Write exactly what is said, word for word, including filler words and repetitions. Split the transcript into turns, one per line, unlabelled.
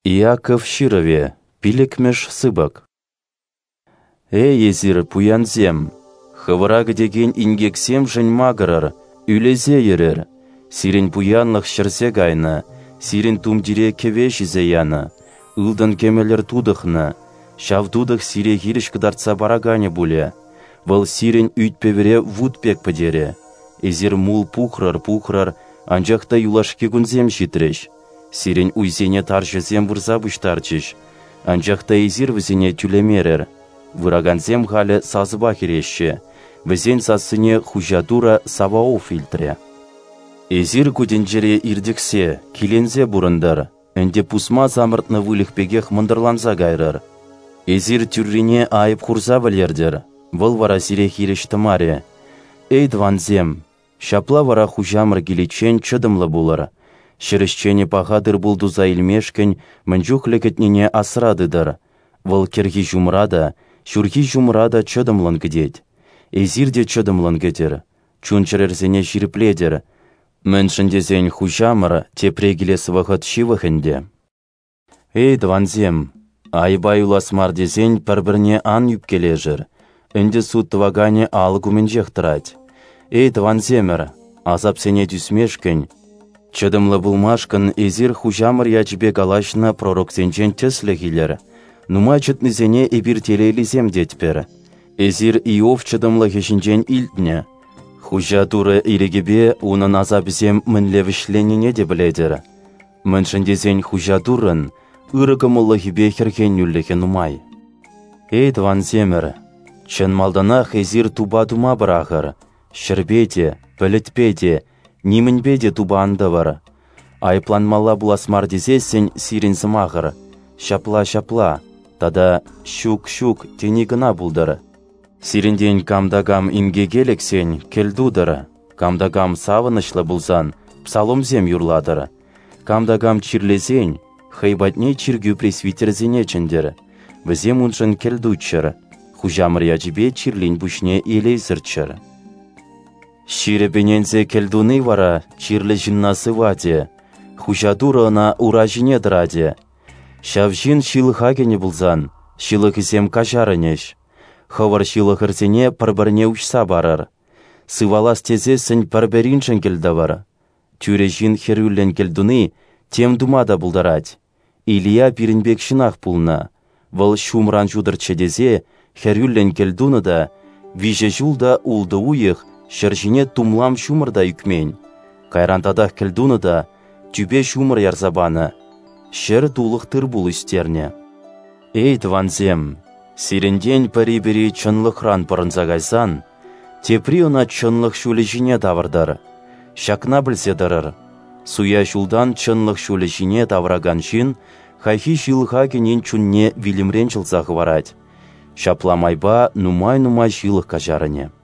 Иаков ҫырӑвӗ, пиллӗкмӗш сыпӑк. Эй, эсир, пуянсем, хӑвӑра кӗтекен инкексемшӗн макӑрӑр, ӳлесе йӗрӗр. Сирӗн пуянлӑх ҫӗрсе кайнӑ, сирӗн тумтире кӗве ҫисе янӑ, ылтӑн-кӗмӗлӗр тутӑхнӑ. Ҫав тутӑх сире хирӗҫ кӑтартса параканӗ пулӗ. Вӑл сирӗн ӳт-пӗвӗре вут пек пӗтерӗ. Эсир мул пухрӑр-пухрӑр, анчах та юлашки кунсем ҫитрӗҫ. Сирӗн уйсене тарҫӑсем вырса пуҫтарчӗҫ, анчах та эсир вӗсене тӳлемерӗр. Выракансем халӗ сасӑпа хӗреҫҫӗ, вӗсен сассине хуҫа Турӑ Саваоф илтрӗ. Эсир ку тӗнчере иртӗхсе, киленсе пурӑнтӑр, ӗнтӗ пусма самӑртнӑ выльӑх пекех мӑнтӑрланса кайрӑр. Эсир тӳррине айӑп хурса вӗлертӗр, вӑл вара сире хирӗҫ тӑмарӗ. Эй, тӑвансем, ҫапла вара хуҫамӑр киличчен чӑтӑмлӑ пулӑр. Ҫӗр ӗҫченӗ паха тыр-пул туса илмешкӗн мӗн чухлӗ кӗтнине асра тытӑр. Вӑл кӗрхи ҫумра та, ҫурхи ҫумра та чӑтӑмлӑн кӗтет. Эсир те чӑтӑмлӑн кӗтӗр, чун-чӗрӗрсене ҫирӗплетӗр. Мӗншӗн тесен хуҫамӑр тепре килес вӑхӑт ҫывӑх ӗнтӗ. Эй, тӑвансем, айӑпа юлас мар тесен пӗр-пӗрне ан ӳпкелешӗр. Ӗнтӗ суд тӑваканӗ алӑк умӗнчех тӑрать. Эй, тӑвансемӗр, асапсене тӳсмешкӗн, чӑтӑмлӑ пулмашкӑн эсир хуҫамӑр ячӗпе калаҫнӑ пророксенчен тӗслӗх илӗр. Нумай чӑтнисене эпир телейлисем тетпӗр. Эсир Иов чӑтӑмлӑхӗ ҫинчен илтнӗ. Хуҫа Турӑ ирӗкӗпе унӑн асапӗсем мӗнле вӗҫленнине те пӗлетӗр. Мӗншӗн тесен хуҫа Туррӑн ырӑ кӑмӑллӑхӗпе хӗрхенӳлӗхӗ нумай. Эй, тӑвансемӗр, чӑн малтанах эсир тупа тума пӑрахӑр, ҫӗрпе те, пӗлӗтпе те, нимӗнпе те тупа ан тӑвӑр. Айӑпланмалла пулас мар тесессӗн сирӗн сӑмахӑр «ҫапла-ҫапла» тата «ҫук-ҫук» тени кӑна пултӑр. Сирӗнтен кам та кам инкеке лексен кӗлтутӑр, кам та кам савӑнӑҫлӑ пулсан псаломсем юрлатӑр, кам та кам чирлесен хӑй патне чиркӳ пресвитерӗсене чӗнтӗр, вӗсем уншӑн кӗлтуччӑр, хуҫамӑр ячӗпе чирлин пуҫне елей сӗртчӗр. Ҫирӗп ӗненсе кӗлтуни вара чирлӗ ҫынна сыватӗ, хуҫа Турӑ ӑна ура ҫине тӑратӗ. Ҫав ҫын ҫылӑха кӗнӗ пулсан, ҫылӑхӗсем каҫарӑнӗҫ. Хӑвӑр ҫылӑхӑрсене пӗр-пӗрне уҫса парӑр. Сывалас тесессӗн пӗр-пӗриншӗн кӗлтӑвӑр. Тӳрӗ ҫын хӗрӳллӗн кӗлтуни тем тума та пултарать. Илия пирӗн пек ҫынах пулнӑ. Вӑл ҫумран ҫутӑрччӗ тесе хӗрӳллӗн кӗлтунӑ та виҫӗ ҫул та ултӑ уйӑх ҫӗр ҫине тумлам ҫумӑр та ӳкмен. Кайран татах кӗлтунӑ та тӳпе ҫумӑр ярса панӑ, ҫӗр тулӑх тыр-пул ӳстернӗ. Эй, тӑвансем, сирӗнтен пӗри-пӗри чӑнлӑхран пӑрӑнса кайсан, тепри ӑна чӑнлӑх ҫулӗ ҫине тавӑртӑр. Ҫакна пӗлсе тӑрӑр. Суя ҫултан чӑнлӑх ҫулӗ ҫине тавӑракан ҫын хайхи ҫылӑха кӗнин чунне вилӗмрен ҫӑлса хӑварать. Ҫапла майпа нумай-нумай ҫылӑх каҫарӑнӗ.